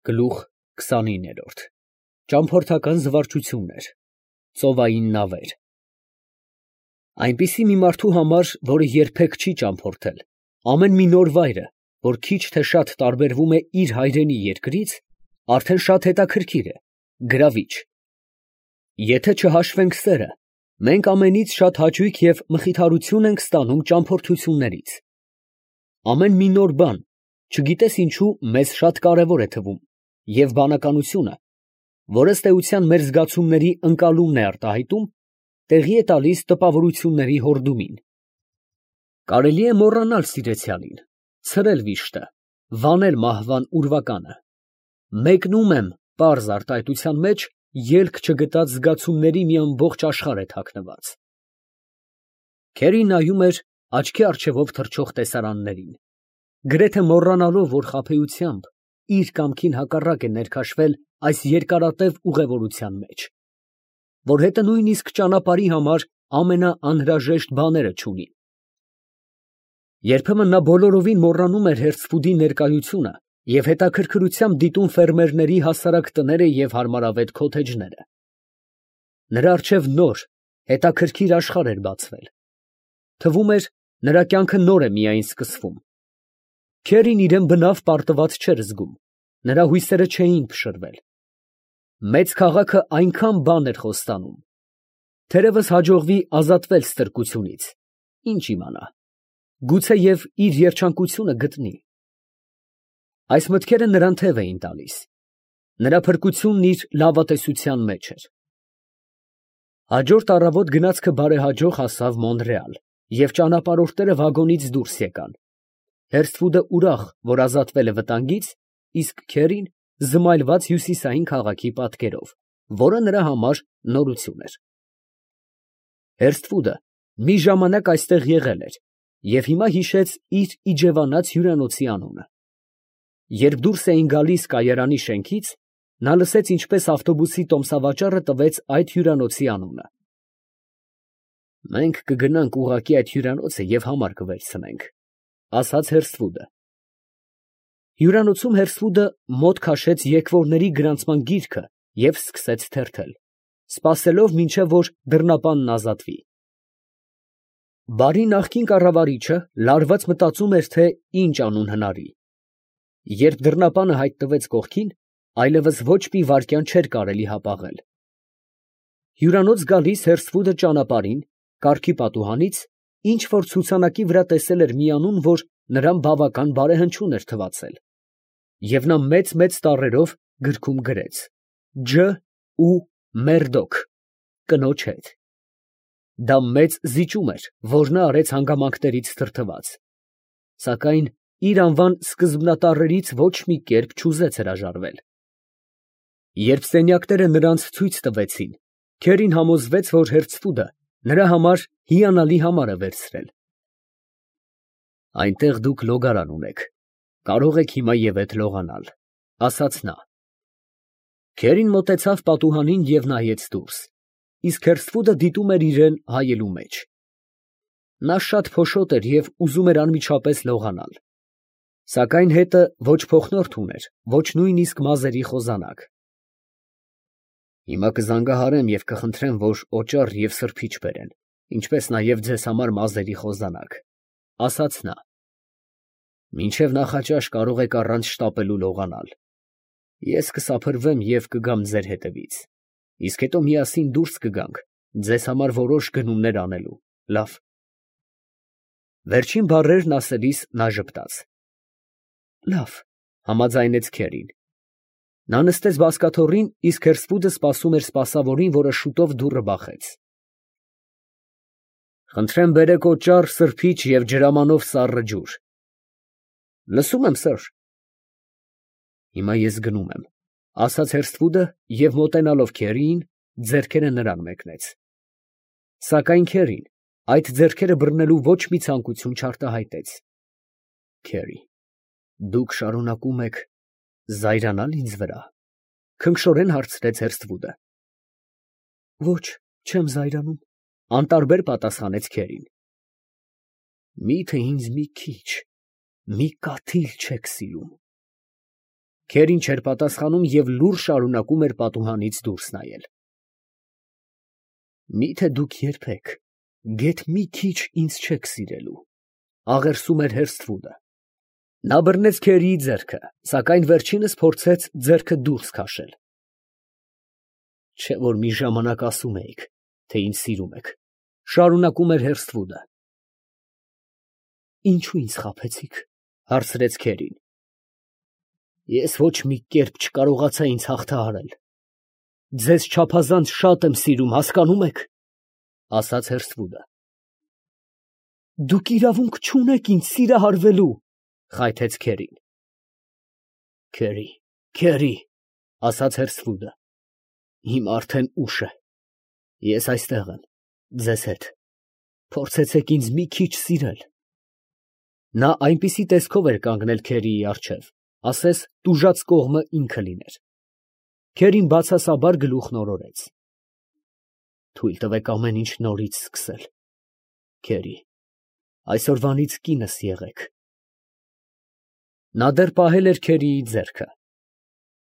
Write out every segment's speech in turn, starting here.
Գլուխ 29 Ճամփորդական զվարճություններ, ծովային նավեր։ Այնպիսի մի մարդու համար, որը երբեք չի ճամփորդել, ամեն մի նոր վայրը, որ քիչ թե շատ տարբերվում է իր հայրենի երկրից, արդեն շատ հետաքրքիր է, գրավիչ։ Եթե չհաշվենք սերը, մենք ամենից շատ հաճույք և մխիթարություն ենք ստանում ճամփորդություններից։ Ամեն մի նոր բան, չգիտես ինչու, մեզ շատ կարևոր է թվում, և բանականությունը, որ ըստ էության մեր զգացումների ընկալումն է արտահայտում, տեղի է տալիս տպավորությունների հորդումին։ Կարելի է մոռանալ սիրեցյալին, ցրել վիշտը, վանել մահվան ուրվականը։ Մեկնում եմ, պարզ արտահայտության մեջ ելք չգտած զգացումների մի ամբողջ աշխարհ է թաքնված։ Քերին նայում էր աչքի առջևով թռչող տեսարաններին, գրեթե մոռանալով, որ խաբեությամբ իր կամքին հակառակ է ներքաշվել այս երկարատև ուղևորության մեջ, որ հետը նույնիսկ ճանապարհի համար ամենաանհրաժեշտ բաները չունի։ Երբեմն նա բոլորովին մոռանում էր Հերցֆուդի ներկայությունը և հետաքրքրությամբ դիտում ֆերմերների հասարակ տները և հարմարավետ քոթեջները։ Նրա առջև նոր, հետաքրքիր աշխարհ էր բացվել։ Թվում էր, նրա կյանքը նոր է միայն սկսվում։ Քերին իրան բնավ պարտված չէր զգում, նրա հույսերը չէին փշրվել։ Մեծ քաղաքը այնքան բան էր խոստանում։ Թերևս հաջողվի ազատվել ստրկությունից, ինչ իմանա, գուցեև իր երջանկությունը գտնի։ Այս մտքերը նրան թև էին տալիս։ Նրա փրկությունն իր լավատեսության մեջ էր։ Հաջորդ առավոտ գնացքը բարեհաջող հասավ Մոնրեալ, և ճանապարհորդները վագոնից դուրս եկան։ Հերցֆուդը ուրախ, որ ազատվել է վտանգից, իսկ Քերին զմայլված հյուսիսային քաղաքի պատկերով, որը նրա համար նորություն էր։ Հերցֆուդը մի ժամանակ այստեղ եղել էր և հիմա հիշեց իր իջևանած հյուրանոցի անունը։ Երբ դուրս էին գալիս կայարանի շենքից, նա լսեց, ինչպես ավտոբուսի տոմսավաճառը տվեց այդ հյուրանոցի անունը։ «Մենք կգնանք ուղղակի այդ հյուրանոցը և համար կվերցնենք», ֊ ասաց Հերցֆուդը։ Հյուրանոցում Հերցֆուդը մոտ քաշեց եկվորների գրանցման գիրքը և սկսեց թերթել, սպասելով, մինչև որ դռնապանն ազատվի։ Բարի նախկին կառավարիչը լարված մտածում էր, թե ինչ անուն հնարի։ Երբ դռնապանը հայտնվեց կողքին, այլևս ոչ մի վայրկյան չէր կարելի հապաղել։ Հյուրանոց գալիս Հերցֆուդը ճանապարհին, կառքի պատուհանից, ինչ որ ցուցանակի վրա տեսել էր մի անուն, որ նրան բավական բարեհնչյուն էր թվացել, և նա մեծ տառերով գրքում գրեց. Ջ. ու Մերդոք, կնոջ հետ։ Դա մեծ զիջում էր, որ նա արեց հանգամանքներից դրդված, սակայն իր անվան սկզբնատառերից ոչ մի կերպ չուզեց հրաժարվել։ Երբ սենյակները նրանց ցույց տվեցին, Քերին համոզվեց, որ Հերցֆուդը նրա համար հիանալի համար է վերցրել։ «Այնտեղ դուք լոգարան ունեք, կարող եք հիմա և էդ լողանալ», ֊ ասաց նա։ Քերին մոտեցավ պատուհանին և նայեց դուրս, իսկ Հերցֆուդը դիտում էր իրան հայելու մեջ։ Նա շատ փոշոտ էր և ուզում էր անմիջապես լողանալ, սակայն հետը ոչ փոխնորդ ուներ, ոչ նույնիսկ մազերի խոզանակ։ «Հիմա կզանգահարեմ և կխնդրեմ, որ օճառ և սրբիչ բերեն, ինչպես նաև ձեզ համար մազերի խոզանակ», ֊ ասաց նա։ «Մինչև նախաճաշ կարող եք առանց շտապելու լողանալ։ Ես կսափրվեմ և կգամ ձեր հետևից, իսկ հետո միասին դուրս կգանք ձեզ համար որոշ գնումներ անելու, լա՞վ»։ Վերջին բառերն ասելիս նա ժպտաց։ «Լավ», ֊ համաձայնեց Քերին։ Նա նստեց բազկաթոռին, իսկ Հերցֆուդը սպասում էր սպասավորին, որը շուտով դուռը բախեց։ «Խնդրեմ բերեք օճառ, սրբիչ և ջրամանով սառը ջուր»։ «Լսում եմ, սըր»։ «Հիմա ես գնում եմ», ֊ ասաց Հերցֆուդը և մոտենալով Քերիին, ձեռքերը նրան մեկնեց։ Սակայն Քերին այդ ձեռքերը բռնելու ոչ մի ցանկություն չարտահայտեց։ «Քերի, դուք շարունակում եք զայրանալ ինձ վրա, ֊ քնքշորեն հարցրեց Հերցֆուդը։ «Ոչ, չեմ զայրանում», ֊ անտարբեր պատասխանեց Քերին։ «Մի՞թե ինձ մի քիչ, մի կաթիլ չեք սիրում»։ Քերին չէր պատասխանում և լուռ շարունակում էր պատուհանից դուրս նայել։ Միթե դուք երբեք գեթ մի քիչ ինձ չեք սիրելու, աղերսում էր Հերսթվուդը։ Նա բռնեց Քերիի ձեռքը, սակայն վերջինս փորձեց ձեռքը դուրս քաշել։ Չէ՞ որ մի ժամանակ ասում էիք, թե ինձ սիրում եք, շարունակում էր Հերսթվուդը։ Ինչու ինձ խաբեցիք, հարցրեց Քերին։ Ես ոչ մի կերպ չկարողացա ինձ հաղթահարել։ Ձեզ չափազանց շատ եմ սիրում, հասկանում եք, ասաց Հերսթվուդը։ Դուք իրավունք չունեք ինձ սիրահարվելու, խայթեց Քերին։ Քերի, ասաց Հերսթվուդը, հիմա արդեն ուշ է։ Ես այստեղ եմ, ձեզ հետ։ Փորձեցեք ինձ մի քիչ սիրել։ Նա այնպիսի տեսքով էր կանգնել Քերիի առջև, ասես տուժած կողմը ինքը լիներ։ Քերին բացասաբար գլուխն օրորեց։ Թույլ տվեք ամեն ինչ նորից սկսել։ Քերի, այսօրվանից կինս եղեք։ Նա դեռ պահել էր Քերիի ձեռքը։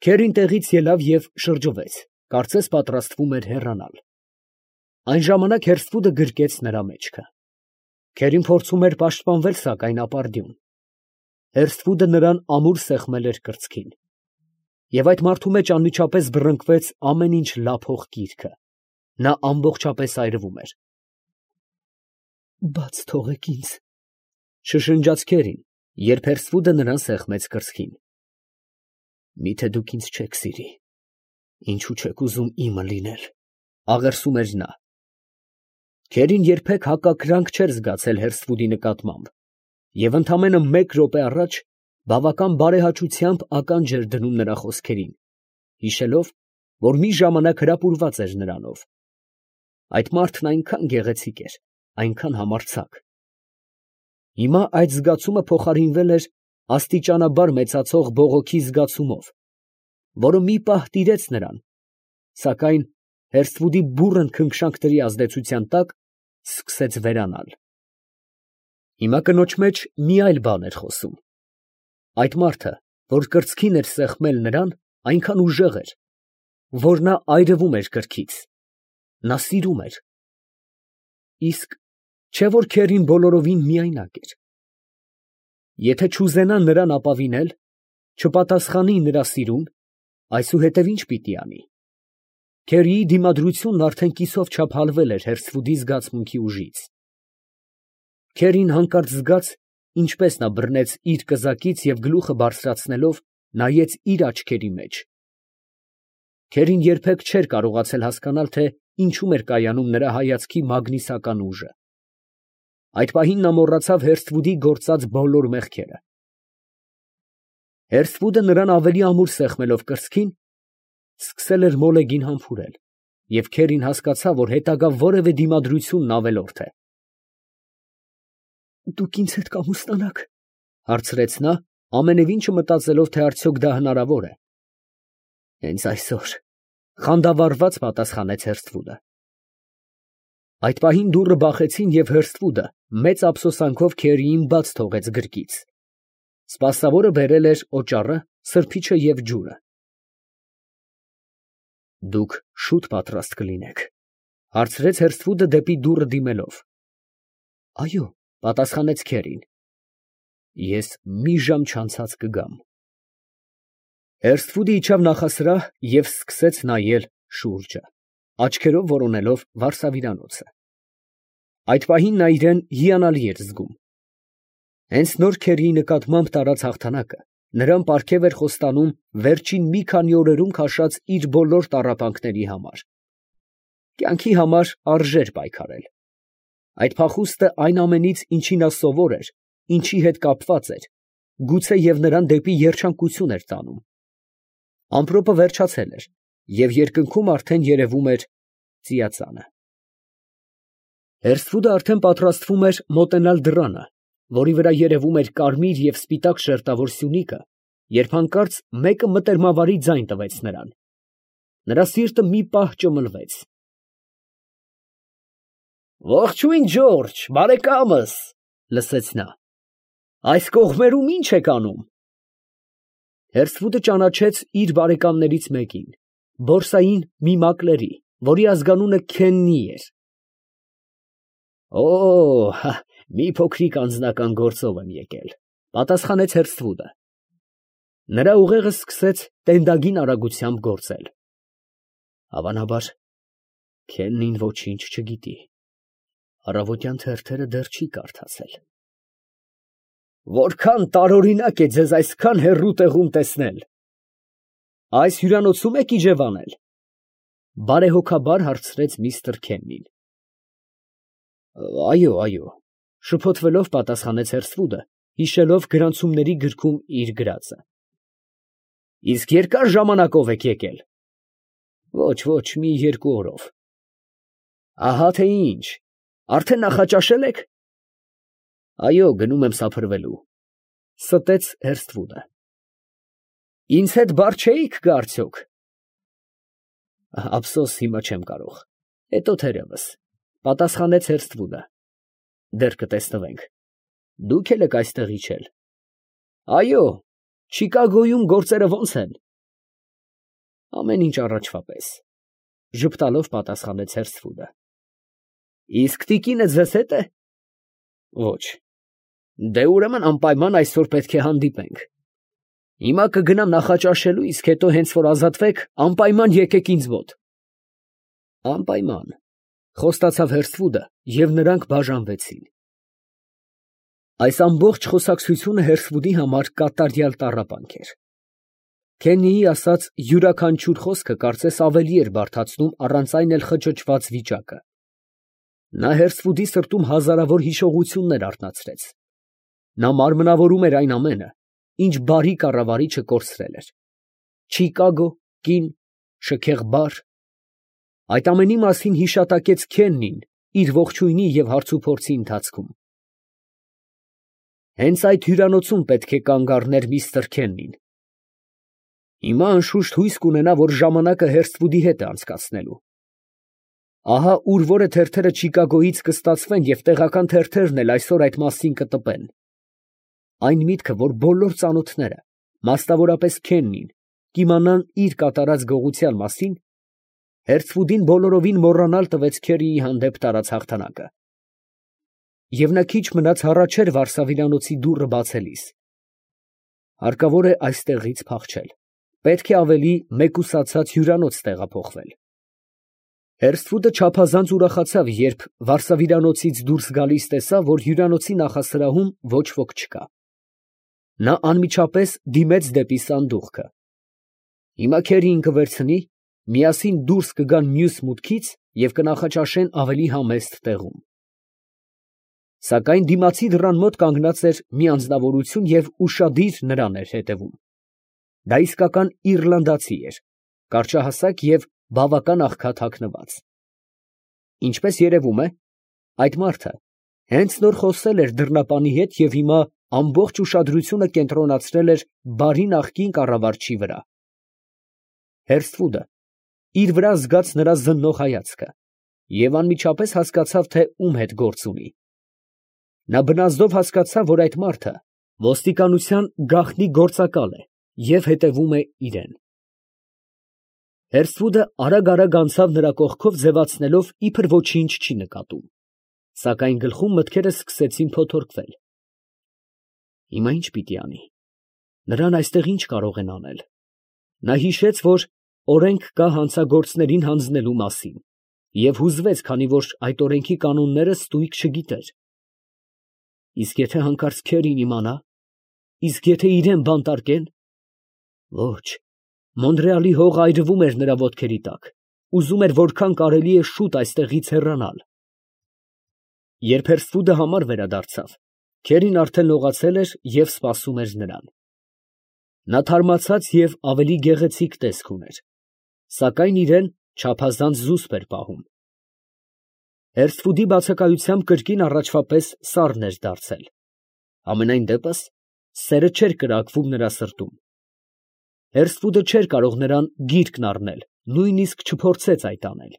Քերին տեղից ելավ և շրջվեց, կարծես պատրաստվում էր հեռանալ։ Այն ժամանակ Հերսթվուդը գրկեց նրա մեջքը։ Քերին փորձում էր պաշտպանվել, սակայն ապարդյուն։ Հերսթվուդը նրան ամուր սեղմել էր կրծքին։ Եվ այդ մարդու մեջ անմիջապես բռնկվեց ամեն ինչ լափող գիրքը։ Նա ամբողջապես այրվում էր։ Բաց թողեք ինձ, շշնջաց Քերին, երբ Հերսթվուդը նրան սեղմեց կրծքին։ Միթե դուք ինձ չեք սիրի, ինչու չեք ուզում իմը լինել, աղերսում էր նա։ Քերին երբեք հակակրանք չէր զգացել Հերսթվուդի նկատմամբ և ընդամենը մեկ րոպե առաջ բավական բարեհաճությամբ ականջ էր դնում նրա խոսքերին, հիշելով, որ մի ժամանակ հրապուրված էր նրանով։ Այդ մարդն այնքան գեղեցիկ էր, այնքան համարձակ։ Հիմա այդ զգացումը փոխարինվել էր աստիճանաբար մեծացող բողոքի զգացումով, որը մի պահ տիրեց նրան, սակայն Հերսթվուդի բուռն քնքշանքների ազդեցության տակ սկսեց վերանալ։ Հիմա կնոջ մեջ մի այլ բան էր խոսում։ Այդ մարդը, որ կրծքին էր սեղմել նրան, այնքան ուժեղ էր, որ նա այրվում էր կրքից։ Նա սիրում էր։ Իսկ չէ՞ որ Քերին բոլորովին միայնակ էր։ Եթե չուզենա նրան ապավինել, չպատասխանի նրա սիրուն, այսուհետև ինչ պիտի անի։ Քերիի դիմադրությունն արդեն կիսով չափ հալվել էր Հերսթվուդի զգացմունքի ուժից։ Քերին հանկարծ զգաց, ինչպես նա բռնեց իր կզակից և գլուխը բարձրացնելով, նայեց իր աչքերի մեջ։ Քերին երբեք չէր կարողացել հասկանալ, թե ինչում էր կայանում նրա հայացքի մագնիսական ուժը։ Այդ պահին նա մոռացավ Հերսթվուդի գործած բոլոր մեղքերը։ Հերսթվուդը նրան ավելի ամուր սեղմելով կրծքին, սկսել էր մոլեգին համբուրել, և Քերին հասկացավ, որ հետագա որևէ դիմադրությունն ավելորդ է։ Դուք ինձ հետ կամուսնանաք, հարցրեց նա, ամենևին չմտածելով, թե արդյոք դա հնարավոր է։ Հենց այսօր, խանդավառված պատասխանեց Հերսթվուդը։ Այդ պահին դուռը բախեցին, և Հերսթվուդը մեծ ափսոսանքով Քերիին բաց թողեց գրկից։ Սպասավորը բերել էր օճառը, սրբիչը և ջուրը։ Դուք շուտ պատրաստ կլինեք, հարցրեց Հերսթվուդը դեպի դուռը դիմելով։ Այո, պատասխանեց Քերին։ Ես մի ժամ չանցած կգամ։ Հերսթվուդը իջավ նախասրահ և սկսեց նայել շուրջը, աչքերով որոնելով վարսավիրանոցը։ Այդ պահին նա իրան հիանալի էր զգում։ Հենց նոր Քերիի նկատմամբ տարած հաղթանակը նրան պարգև էր խոստանում վերջին մի քանի օրերում քաշած իր բոլոր տառապանքների համար։ Կյանքի համար արժեր պայքարել։ Այդ փախուստը այն ամենից, ինչի նա սովոր էր, ինչի հետ կապված էր, գուցե և նրան դեպի երջանկություն էր տանում։ Ամպրոպը վերջացել էր, և երկնքում արդեն երևում էր ծիածանը։ Հերսթվուդը արդեն պատրաստվում էր մոտենալ դռանը, որի վրա երևում էր կարմիր և սպիտակ շերտավոր սյունիքը, երբ հանկարծ մեկը մտերմավարի ձայն տվեց նրան։ Նրա սիրտը մի պահ ճմլվեց։ Ողջույն, Ջորջ, բարեկամս, լսեց նա։ Այս կողմերում ի՞նչ եք անում։ Հերսվուդը ճանաչեց իր բարեկամներից մեկին, բորսային մի մակլերի, որի ազգանունը Քեննի էր։ Օ, մի փոքրիկ անձնական գործով եմ եկել, պատասխանեց Հերսվուդը։ Նրա ուղեղը սկսեց տենդագին արագությամբ գործել։ Հավանաբար, Քեննին ոչինչ չգիտի, առավոտյան թերթերը դեռ չի կարդացել։ Որքան տարօրինակ է ձեզ այսքան հեռու տեղում տեսնել։ Այս հյուրանոցում եք իջևանել, բարեհոգաբար հարցրեց միստր Քեննին։ Այո, շփոթվելով պատասխանեց Հերսվուդը, հիշելով գրանցումների գրքում իր գրածը։ Իսկ երկար ժամանակով եք եկել։ Ոչ, մի 2 օրով։ Ահա թե ինչ, արդեն նախաճաշել եք։ Այո, գնում եմ սափրվելու, ստեց Հերսվուդը։ Ինձ հետ բար չէիք գա արդյոք։ Ափսոս, հիմա չեմ կարող, հետո թերևս, պատասխանեց Հերսվուդը։ Դեռ կտեսնվենք։ Դուք եք այստեղ իջել։ Այո, Չիկագոյում գործերը ո՞նց են։ Ամեն ինչ առաջվա պես, ժպտալով պատասխանեց Հերսվուդը։ Իսկ տիկինը ձեզ հետ է։ Ոչ։ Դե ուրեմն անպայման այսօր պետք է հանդիպենք։ Հիմա կգնամ նախաճաշելու, իսկ հետո հենց որ ազատվեք, անպայման եկեք ինձ մոտ։ Անպայման, խոստացավ Հերսվուդը, և նրանք բաժանվեցին։ Այս ամբողջ խոսակցությունը Հերսվուդի համար կատարյալ տառապանք էր։ Քեննիի ասած յուրաքանչյուր խոսքը կարծես ավելի էր բարդացնում առանց այն էլ խճճված վիճակը։ Նա Հերսվուդի սրտում հազարավոր հիշողություններ արթնացրեց։ Նա մարմնավորում էր այն ամենը, ինչ բարի կառավարիչը կորցրել էր։ Չիկագո, կին, շքեղ բար։ Այդ ամենի մասին հիշատակեց Քեննին իր ողջույնի և հարցուփորձի ընթացքում։ Հենց այդ հյուրանոցում պետք է կանգ առներ միստր Քեննին։ Հիմա անշուշտ հույս կունենա, որ ժամանակը Հերսվուդի հետ է անցկացնելու։ Ահա ուր որը թերթերը Չիկագոյից կստացվեն և տեղական թերթերն էլ այսօր այդ մասին կտպեն։ Այն միտքը, որ բոլոր ծանոթները, մասնավորապես Քեննին, կիմանան իր կատարած գողության մասին, Հերսվուդին բոլորովին մոռանալ տվեց Քերիի հանդեպ տարած հաղթանակը։ Եվ նա քիչ մնաց հառաչեր վարսավիրանոցի դուռը բացելիս։ Հարկավոր է այստեղից փախչել։ Պետք է ավելի մեկուսացած հյուրանոց տեղափոխվել։ Հերսվուդը չափազանց ուրախացավ, երբ վարսավիրանոցից դուրս գալիս տեսավ, որ հյուրանոցի նախասրահում ոչ ոք չկա։ Նա անմիջապես դիմեց դեպի սանդուղքը։ Հիմա Քերիին կվերցնի, միասին դուրս կգան մյուս մուտքից և կնախաճաշեն ավելի համեստ տեղում։ Սակայն դիմացի դռան մոտ կանգնած էր մի անձնավորություն և ուշադիր նրան էր հետևում։ Դա իսկական իռլանդացի էր, կարճահասակ և բավական աղքատ հագնված։ Ինչպես երևում է, այդ մարդը հենց նոր խոսել էր դռնապանի հետ և հիմա ամբողջ ուշադրությունը կենտրոնացրել էր բարի նախկին կառավարչի վրա։ Հերսվուդը իր վրա զգաց նրա զննող հայացքը և անմիջապես հասկացավ, թե ում հետ գործ ունի։ Նա բնազդով հասկացավ, որ այդ մարդը ոստիկանության գաղտնի գործակալ է և հետևում է իրան։ Հերսվուդը արագ անցավ նրա կողքով, ձևացնելով, իբր ոչինչ չի նկատում, սակայն գլխում մտքերը սկսեցին փոթորկվել։ Հիմա ինչ պիտի անի։ Նրան այստեղ ինչ կարող են անել։ Նա հիշեց, որ օրենք կա հանցագործներին հանձնելու մասին, և հուզվեց, քանի որ այդ օրենքի կանոնները ստույգ չգիտեր։ Իսկ եթե հանկարծ Քերին իմանա, իսկ եթե իրան բանտարկեն։ Ոչ, Մոնրեալի հողը այրվում էր նրա ոտքերի տակ, ուզում էր որքան կարելի է շուտ այստեղից հեռանալ։ Երբ Հերսվուդը համար վերադարձավ, Քերին արդեն լողացել էր և սպասում էր նրան։ Նա թարմացած և ավելի գեղեցիկ տեսք ուներ, սակայն իրան չափազանց զուսպ էր պահում։ Հերսվուդի բացակայությամբ կրկին առաջվա պես սառն էր դարձել։ Համենայն դեպս, սերը չէր կրակվում նրա սրտում։ Հերսվուդը չէր կարող նրան գիրկն առնել, նույնիսկ չփորձեց այդ անել։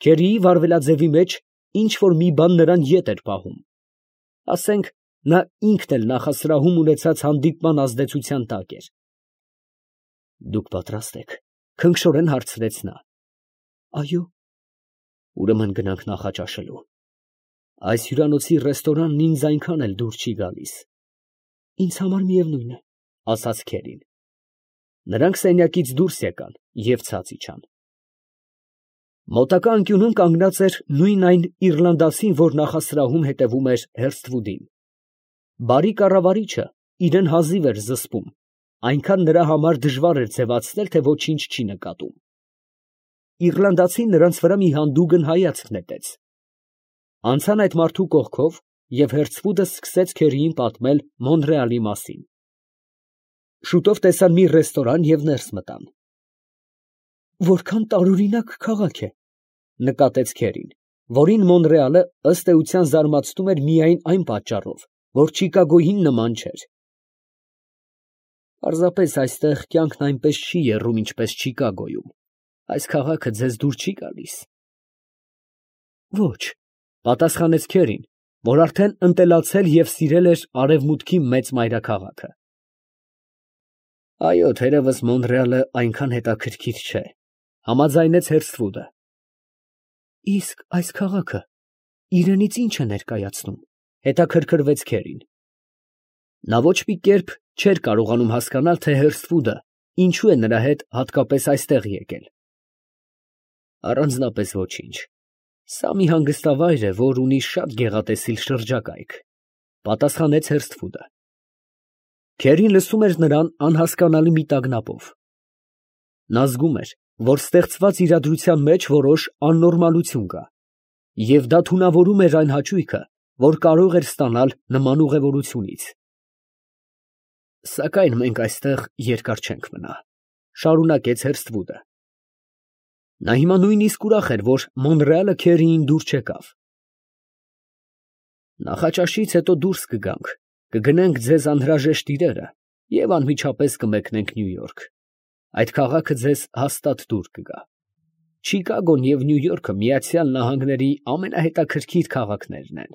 Քերիի վարվելաձևի մեջ ինչ որ մի բան նրան ետ էր պահում։ Ասենք, նա ինքն էլ նախասրահում ունեցած հանդիպման ազդեցության տակ էր։ Դուք պատրաստ եք, քնքշորեն հարցրեց նա։ Այո։ Ուրեմն գնանք նախաճաշելու։ Այս հյուրանոցի ռեստորանն ինձ այնքան էլ դուր չի գալիս։ Ինձ համար միևնույն է, ասաց Քերին։ Նրանք սենյակից դուրս եկան և ցած իջան։ Մոտակա անկյունում կանգնած էր նույն այն իռլանդացին, որ նախասրահում հետևում էր Հերսթվուդին։ Բարի կառավարիչը իրան հազիվ էր զսպում, այնքան նրա համար դժվար էր ձևացնել, թե ոչինչ չի նկատում։ Իռլանդացին նրանց վրա մի հանդուգն հայացք նետեց։ Անցան այդ մարդու կողքով, և Հերսթվուդը սկսեց Քերիին պատմել Մոնրեալի մասին։ Շուտով տեսան մի ռեստորան և ներս մտան։ Որքան տարօրինակ քաղաք է, նկատեց Քերին, որին Մոնրեալը ըստ էության զարմացնում էր միայն այն պատճառով, որ Չիկագոյին նման չէր։ Պարզապես այստեղ կյանքն այնպես չի եռում, ինչպես Չիկագոյում։ Այս քաղաքը ձեզ դուր չի գալիս։ Ոչ, պատասխանեց Քերին, որ արդեն ընտելացել և սիրել էր արևմուտքի մեծ մայրաքաղաքը։ Այո, թերևս Մոնրեալը այնքան հետաքրքիր չէ, համաձայնեց Հերսթվուդը։ Իսկ այս քաղաքը իրենից ի՞նչ է ներկայացնում, հետաքրքրվեց Քերին։ Նա ոչ մի կերպ չէր կարողանում հասկանալ, թե Հերսթվուդը ինչու է նրա հետ հատկապես այստեղ եկել։ Առանձնապես ոչինչ։ Սա մի հանգստավայր է, որ ունի շատ գեղատեսիլ շրջակայք, պատասխանեց Հերսթվուդը։ Քերին լսում էր նրան անհասկանալի մի տագնապով։ Նա զգում էր, որ ստեղծված իրադրության մեջ որոշ աննորմալություն կա, և դա թունավորում էր այն հաճույքը, որ կարող էր ստանալ նման ուղևորությունից։ Սակայն մենք այստեղ երկար չենք մնա, շարունակեց Հերսթվուդը։ Նա հիմա նույնիսկ ուրախ էր, որ Մոնրեալը Քերիին դուր չեկավ։ Նախաճաշից հետո դուրս կգանք, կգնենք ձեզ անհրաժեշտ իրերը և անմիջապես կմեկնենք Նյու Յորք։ Այդ քաղաքը ձեզ հաստատ դուր կգա։ Չիկագոն և Նյու Յորքը Միացյալ Նահանգների ամենահետաքրքիր քաղաքներն են։